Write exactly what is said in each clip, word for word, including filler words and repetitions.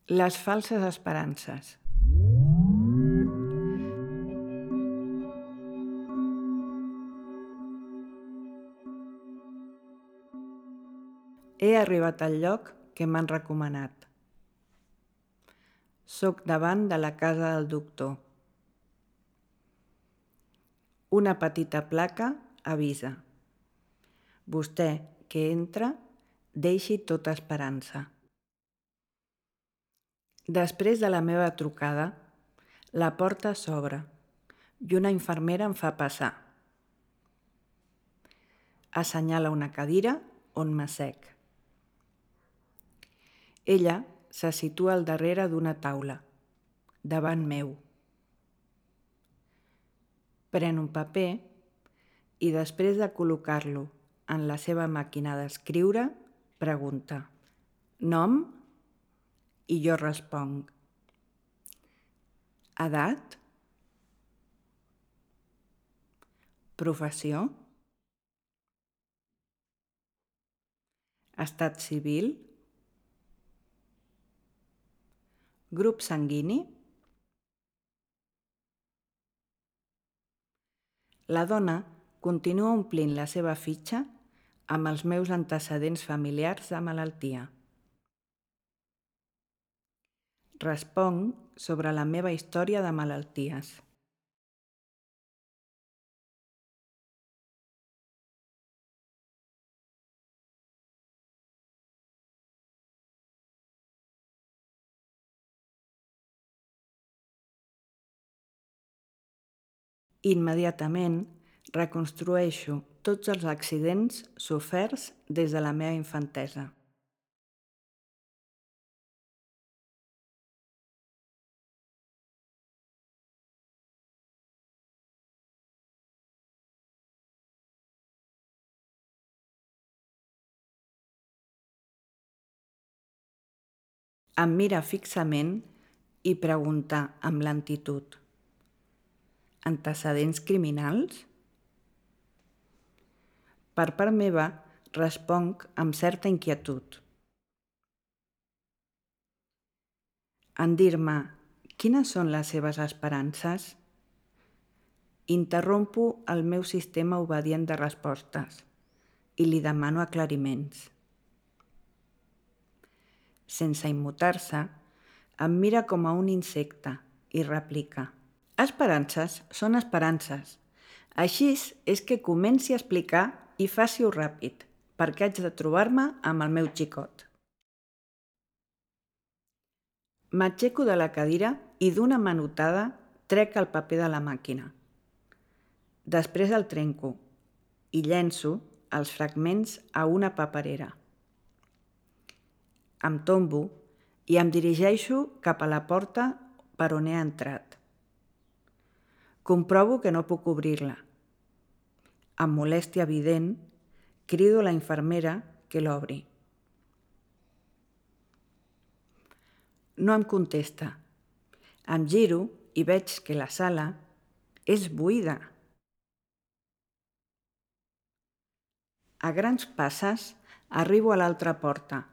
Les falses esperances. He arribat al lloc que m'han recomanat. Soc davant de la casa del doctor. Una petita placa avisa. Vostè que entra, deixi tota esperança. Després de la meva trucada, la porta s'obre i una infermera em fa passar. Assenyala una cadira on m'assec. Ella se situa al darrere d'una taula, davant meu. Pren un paper i després de col·locar-lo en la seva màquina d'escriure, pregunta: nom? I jo responc: edat? Professió? Estat civil? Grup sanguini? La dona continua omplint la seva fitxa amb els meus antecedents familiars de malaltia. Responc sobre la meva història de malalties. Immediatament reconstrueixo tots els accidents soferts des de la meva infantesa. Em mira fixament i pregunta amb lentitud: antecedents criminals? Per part meva, responc amb certa inquietud. En dir-me quines són les seves esperances, interrompo el meu sistema obedient de respostes i li demano aclariments. Sense immutar-se, em mira com a un insecte i replica: esperances són esperances. Així és que comenci a explicar i faci-ho ràpid, perquè haig de trobar-me amb el meu xicot. M'aixeco de la cadira i d'una manotada trec el paper de la màquina. Després el trenco i llenço els fragments a una paperera. Em tombo i em dirigeixo cap a la porta per on he entrat. Comprovo que no puc obrir-la. Amb molèstia evident, crido a la infermera que l'obri. No em contesta. Em giro i veig que la sala és buida. A grans passes arribo a l'altra porta,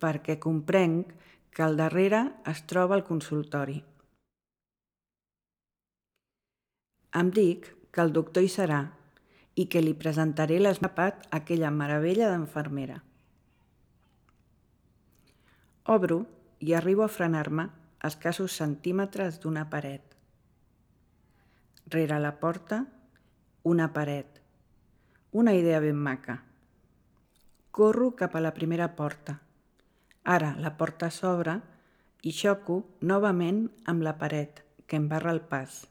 perquè comprenc que al darrere es troba el consultori. Em dic que el doctor hi serà i que li presentaré l'esnapat a aquella meravella d'infermera. Obro i arribo a frenar-me a escassos centímetres d'una paret. Rere la porta, una paret. Una idea ben maca. Corro cap a la primera porta. Ara la porta s'obre i xoco novament amb la paret, que em barra el pas.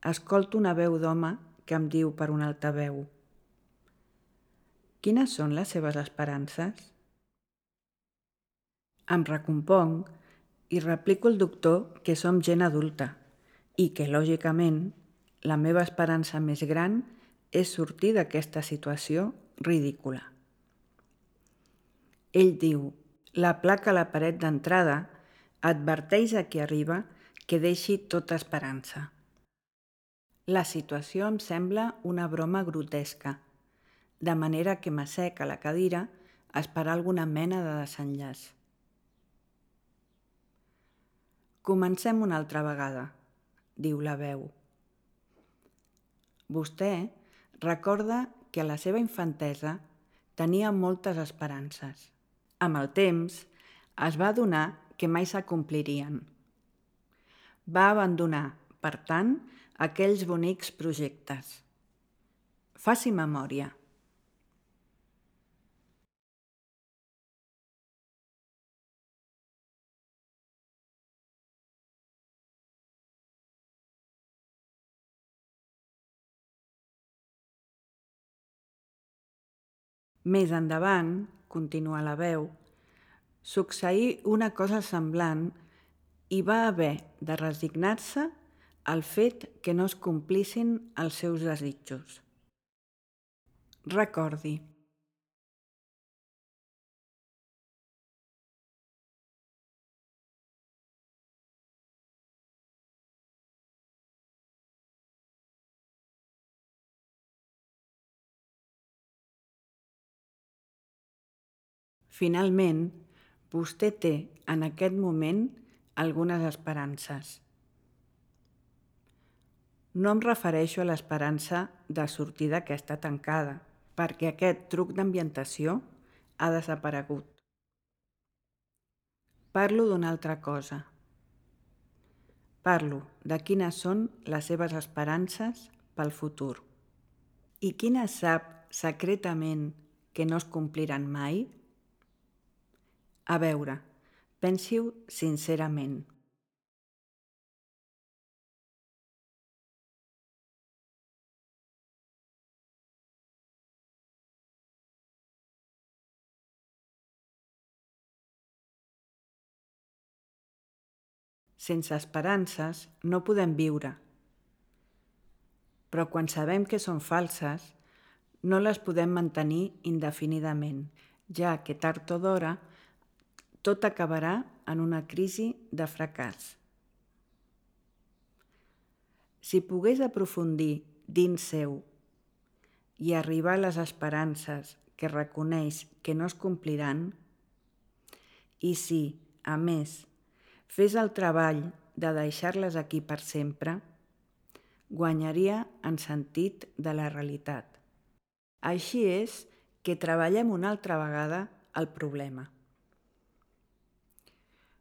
Escolto una veu d'home que em diu per un altaveu: quines són les seves esperances? Em recomponc i replico al doctor que som gent adulta i que, lògicament, la meva esperança més gran és sortir d'aquesta situació ridícula. Ell diu: la placa a la paret d'entrada adverteix a qui arriba que deixi tota esperança. La situació em sembla una broma grotesca, de manera que m'assec a la cadira esperar alguna mena de desenllaç. Comencem una altra vegada, diu la veu. Vostè recorda que a la seva infantesa tenia moltes esperances. Amb el temps, es va adonar que mai s'acomplirien. Va abandonar, per tant, aquells bonics projectes. Faci memòria. Més endavant, continua la veu, succeí una cosa semblant i va haver de resignar-se al fet que no es complissin els seus desitjos. Recordi. Finalment, vostè té en aquest moment algunes esperances. No em refereixo a l'esperança de sortir d'aquesta tancada, perquè aquest truc d'ambientació ha desaparegut. Parlo d'una altra cosa. Parlo de quines són les seves esperances pel futur. I quines sap secretament que no es compliran mai? A veure, pensi-ho sincerament. Sense esperances no podem viure, però quan sabem que són falses, no les podem mantenir indefinidament, ja que tard o d'hora tot acabarà en una crisi de fracàs. Si pogués aprofundir dins seu i arribar a les esperances que reconeix que no es compliran, i si, a més, fes el treball de deixar-les aquí per sempre, guanyaria en sentit de la realitat. Així és que treballem una altra vegada el problema.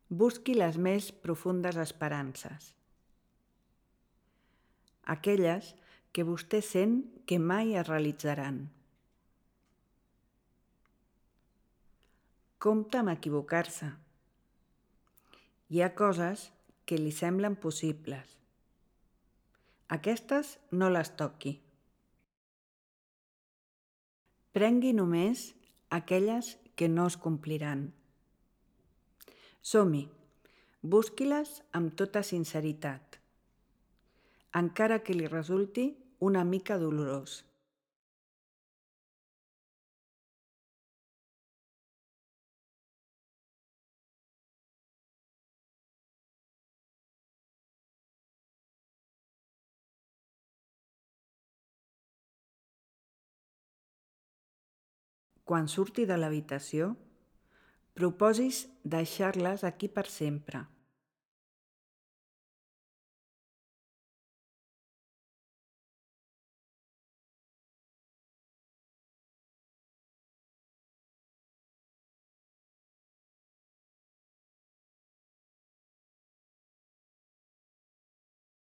Busqui les més profundes esperances, aquelles que vostè sent que mai es realitzaran. Compte amb equivocar-se. Hi ha coses que li semblen possibles. Aquestes no les toqui. Prengui només aquelles que no es compliran. Som-hi, busqui-les amb tota sinceritat, encara que li resulti una mica dolorós. Quan surti de l'habitació, proposis deixar-les aquí per sempre.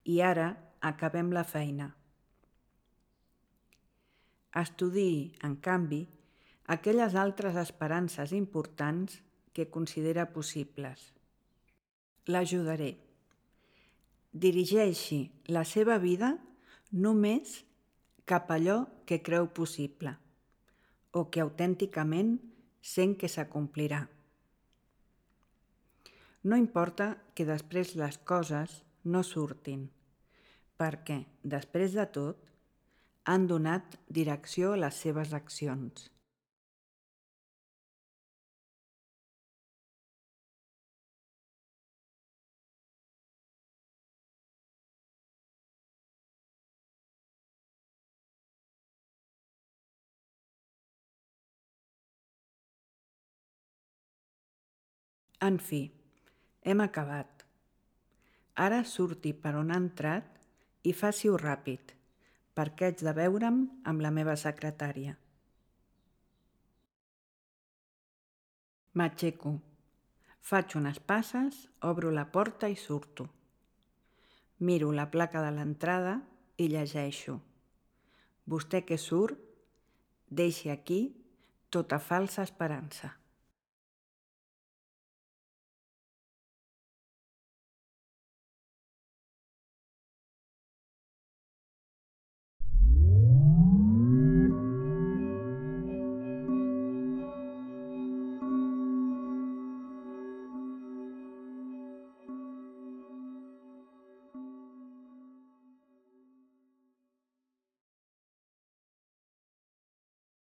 I ara acabem la feina. Estudiï, en canvi, aquelles altres esperances importants que considera possibles. L'ajudaré. Dirigeixi la seva vida només cap a allò que creu possible o que autènticament sent que s'acomplirà. No importa que després les coses no surtin, perquè, després de tot, han donat direcció a les seves accions. En fi, hem acabat. Ara surti per on ha entrat i faci-ho ràpid, perquè haig de veure'm amb la meva secretària. M'aixeco, faig unes passes, obro la porta i surto. Miro la placa de l'entrada i llegeixo. Vostè que surt, deixi aquí tota falsa esperança.